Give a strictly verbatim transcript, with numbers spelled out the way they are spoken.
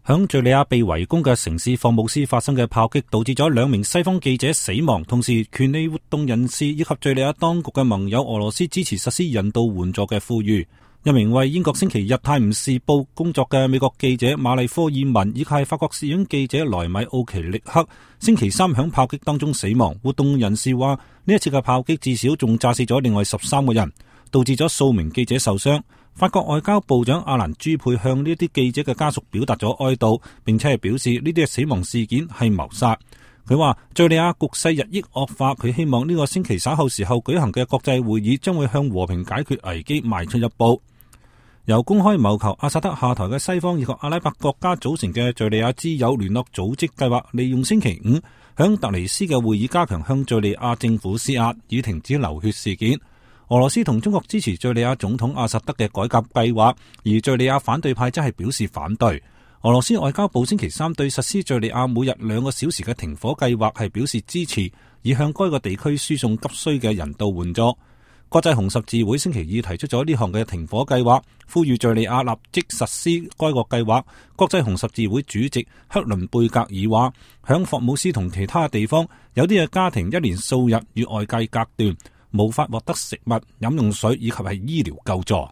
響敘利亞被圍攻嘅城市霍姆斯發生嘅炮擊，導致咗兩名西方記者死亡。同時，權利活動人士以及敘利亞當局嘅盟友俄羅斯支持實施人道援助嘅呼籲。一名為英國星期日泰晤士報工作嘅美國記者馬麗科爾文，以及係法國攝影記者萊米奧奇力克，星期三響炮擊當中死亡。活動人士話，呢一次嘅炮擊至少仲炸死咗另外十三個人，導致咗數名記者受傷。法國外交部長阿蘭朱佩向呢啲記者嘅家屬表達咗哀悼，並且係表示呢啲嘅死亡事件係謀殺。佢話敘利亞局勢日益惡化，佢希望呢個星期稍後時候舉行嘅國際會議將會向和平解決危機邁出一步。由公開謀求阿薩德下台嘅西方以及阿拉伯國家組成嘅敘利亞之友聯絡組織計劃，利用星期五響突尼斯嘅會議加強向敘利亞政府施壓，以停止流血事件。俄羅斯同中國支持敘利亞總統阿薩德嘅改革計劃，而敘利亞反對派則係表示反對。俄羅斯外交部星期三對實施敘利亞每日兩個小時嘅停火計劃係表示支持，以向該個地區輸送急需嘅人道援助。國際紅十字會星期二提出咗呢項嘅停火計劃，呼籲敘利亞立即實施該個計劃。國際紅十字會主席克倫貝格爾話，響霍姆斯同其他地方，有啲嘅家庭一連數日與外界隔斷，無法獲得食物、飲用水以及係醫療救助。